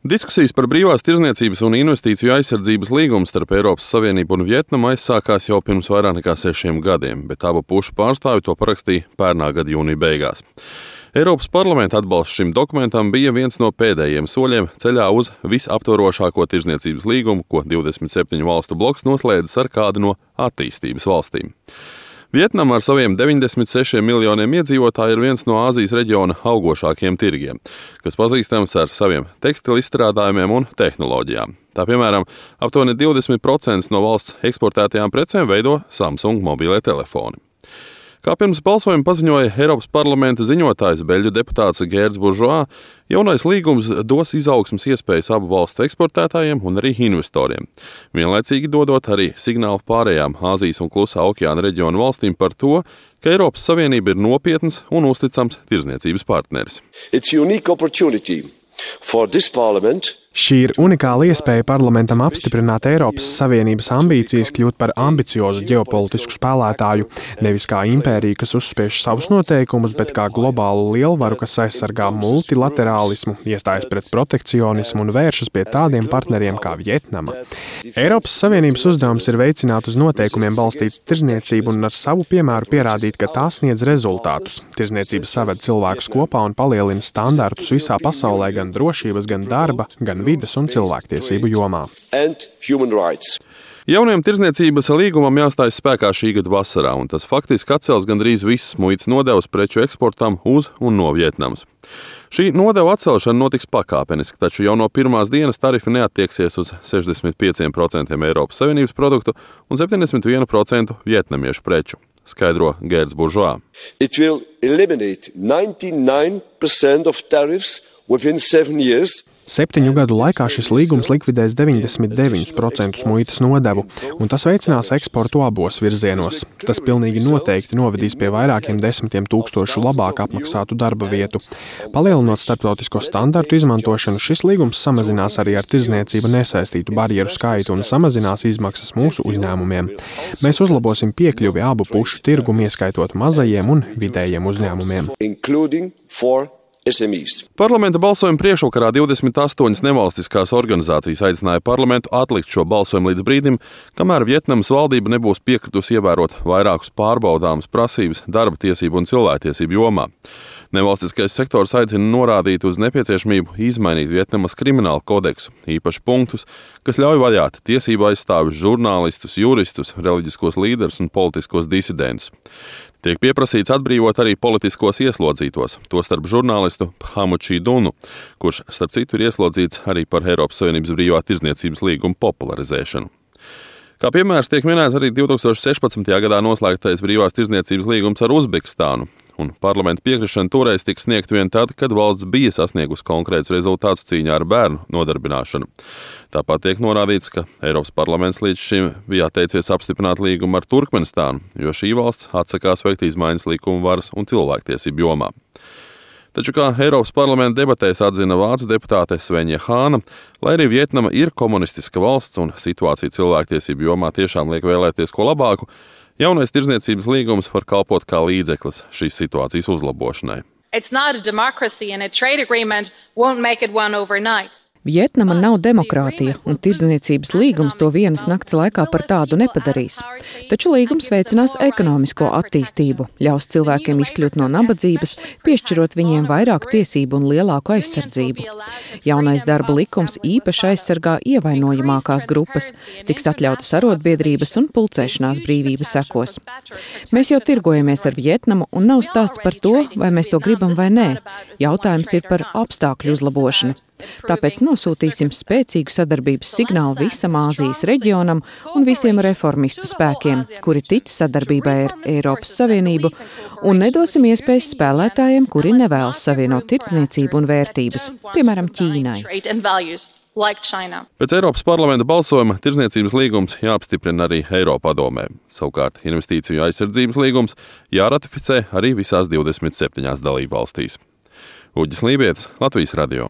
Diskusijas par brīvās tirdzniecības un investīciju aizsardzības līgumu starp Eiropas Savienību un Vjetnamu aizsākās jau pirms vairāk nekā 6 gadiem, bet abu pušu pārstāvji to parakstīja pērnā gada jūnija beigās. Eiropas parlamenta atbalsts šim dokumentam bija viens no pēdējiem soļiem ceļā uz visaptvarošāko tirdzniecības līgumu, ko 27 valstu bloks noslēdzis ar kādu no attīstības valstīm. Vjetnama ar saviem 96 miljoniem iedzīvotāju ir viens no Āzijas reģiona augošākajiem tirgiem, kas pazīstams ar saviem tekstilu izstrādājumiem un tehnoloģijām. Tā piemēram, aptuveni 20% no valsts eksportētajām precēm veido Samsung mobīlie telefoni. Kā pirms balsojuma paziņoja Eiropas parlamenta ziņotājs beļģu deputāts Gērds Buržoā, jaunais līgums dos izaugsmes iespējas abu valstu eksportētājiem un arī investoriem, vienlaicīgi dodot arī signālu pārējām Āzijas un Klusā okeāna reģionu valstīm par to, ka Eiropas Savienība ir nopietns un uzticams tirdzniecības partneris. Šī ir unikāla iespēja parlamentam apstiprināt Eiropas Savienības ambīcijas kļūt par ambiciozu ģeopolitisku spēlētāju, nevis kā impēriju, kas uzspiež savus noteikumus, bet kā globālu lielvaru, kas aizsargā multilaterālismu, iestājas pret protekcionismu un vēršas pie tādiem partneriem kā Vjetnama. Eiropas Savienības uzdevums ir veicināt uz noteikumiem balstītu tirdzniecību un ar savu piemēru pierādīt, ka tā sniedz rezultātus. Tirdzniecība saved cilvēkus kopā un palielina standartus visā pasaulē gan drošības, gan darba, gan vides un cilvēktiesību jomā. Jaunajam tirdzniecības līgumam jāstājas spēkā šī gada vasarā, un tas faktiski atcels gandrīz visas muitas nodevas preču eksportam uz un no Vjetnamas. Šī nodeva atcelšana notiks pakāpeniski, taču jau no pirmās dienas tarifi neattieksies uz 65% Eiropas Savienības produktu un 71% vjetnamiešu preču, skaidro Gērds Buržoā. It will eliminate 99% of tariffs within 7 years. 7 gadu laikā šis līgums likvidēs 99% muitas nodevu, un tas veicinās eksportu abos virzienos. Tas pilnīgi noteikti novedīs pie vairākiem 10 000 labāk apmaksātu darba vietu. Palielinot starptautisko standartu izmantošanu, šis līgums samazinās arī ar tirdzniecību nesaistītu barjeru skaitu un samazinās izmaksas mūsu uzņēmumiem. Mēs uzlabosim piekļuvi abu pušu tirgumu, ieskaitot mazajiem un vidējiem uzņēmumiem. Parlamenta balsojuma priekšvakarā 28 nevalstiskās organizācijas aicināja parlamentu atlikt šo balsojumu līdz brīdim, kamēr Vjetnamas valdība nebūs piekritusi ievērot vairākus pārbaudāmus prasības darba tiesību un cilvēktiesību jomā. Nevalstiskais sektors aicina norādīt uz nepieciešamību izmainīt Vjetnamas kriminālu kodeksu, īpaši punktus, kas ļauj vajāt tiesību aizstāvjus, žurnālistus, juristus, reliģiskos līderus un politiskos disidentus. Tiek pieprasīts atbrīvot arī politiskos ieslodzītos, tostarp žurnālistu Phamu Chidunu, kurš, starp citu, ir ieslodzīts arī par Eiropas Savienības brīvā tirdzniecības līgumu popularizēšanu. Kā piemērs tiek minēts arī 2016. gadā noslēgtais brīvās tirdzniecības līgums ar Uzbekistānu, un parlamenta piekrišana toreiz tika sniegta vien tad, kad valsts bija sasniegusi konkrēts rezultāts cīņā ar bērnu nodarbināšanu. Tāpat tiek norādīts, ka Eiropas parlaments līdz šim bija atteicies apstiprināt līgumu ar Turkmenistānu, jo šī valsts atsakās veikt izmaiņas likuma varas un cilvēktiesību jomā. Taču, kā Eiropas parlamenta debatēs atzina vācu deputāte Svenja Hāna, lai arī Vjetnama ir komunistiska valsts un situācija cilvēktiesību jomā tiešām liek vēlēties ko labāku, jaunais tirdzniecības līgums var kalpot kā līdzeklis šīs situācijas uzlabošanai. Vjetnama nav demokrātija, un tirdzniecības līgums to vienas nakts laikā par tādu nepadarīs. Taču līgums veicinās ekonomisko attīstību, ļaus cilvēkiem izkļūt no nabadzības, piešķirot viņiem vairāk tiesību un lielāku aizsardzību. Jaunais darba likums īpaši aizsargā ievainojamākās grupas, tiks atļautas arotbiedrības un pulcēšanās brīvības sekos. Mēs jau tirgojamies ar Vjetnamu, un nav stāsts par to, vai mēs to gribam vai nē. Jautājums ir par apstākļu uzlabošanu. Tāpēc nosūtīsim spēcīgu sadarbības signālu visam Āzijas reģionam un visiem reformistu spēkiem, kuri tic sadarbībai ar Eiropas Savienību, un nedosim iespējas spēlētājiem, kuri nevēlas savienot tirdzniecību un vērtības, piemēram, Ķīnai. Pēc Eiropas parlamenta balsojuma tirdzniecības līgums jāapstiprina arī Eiropadomē. Savukārt investīciju aizsardzības līgums jāratificē arī visās 27 dalībvalstīs. Uģis Lībietis, Latvijas radio.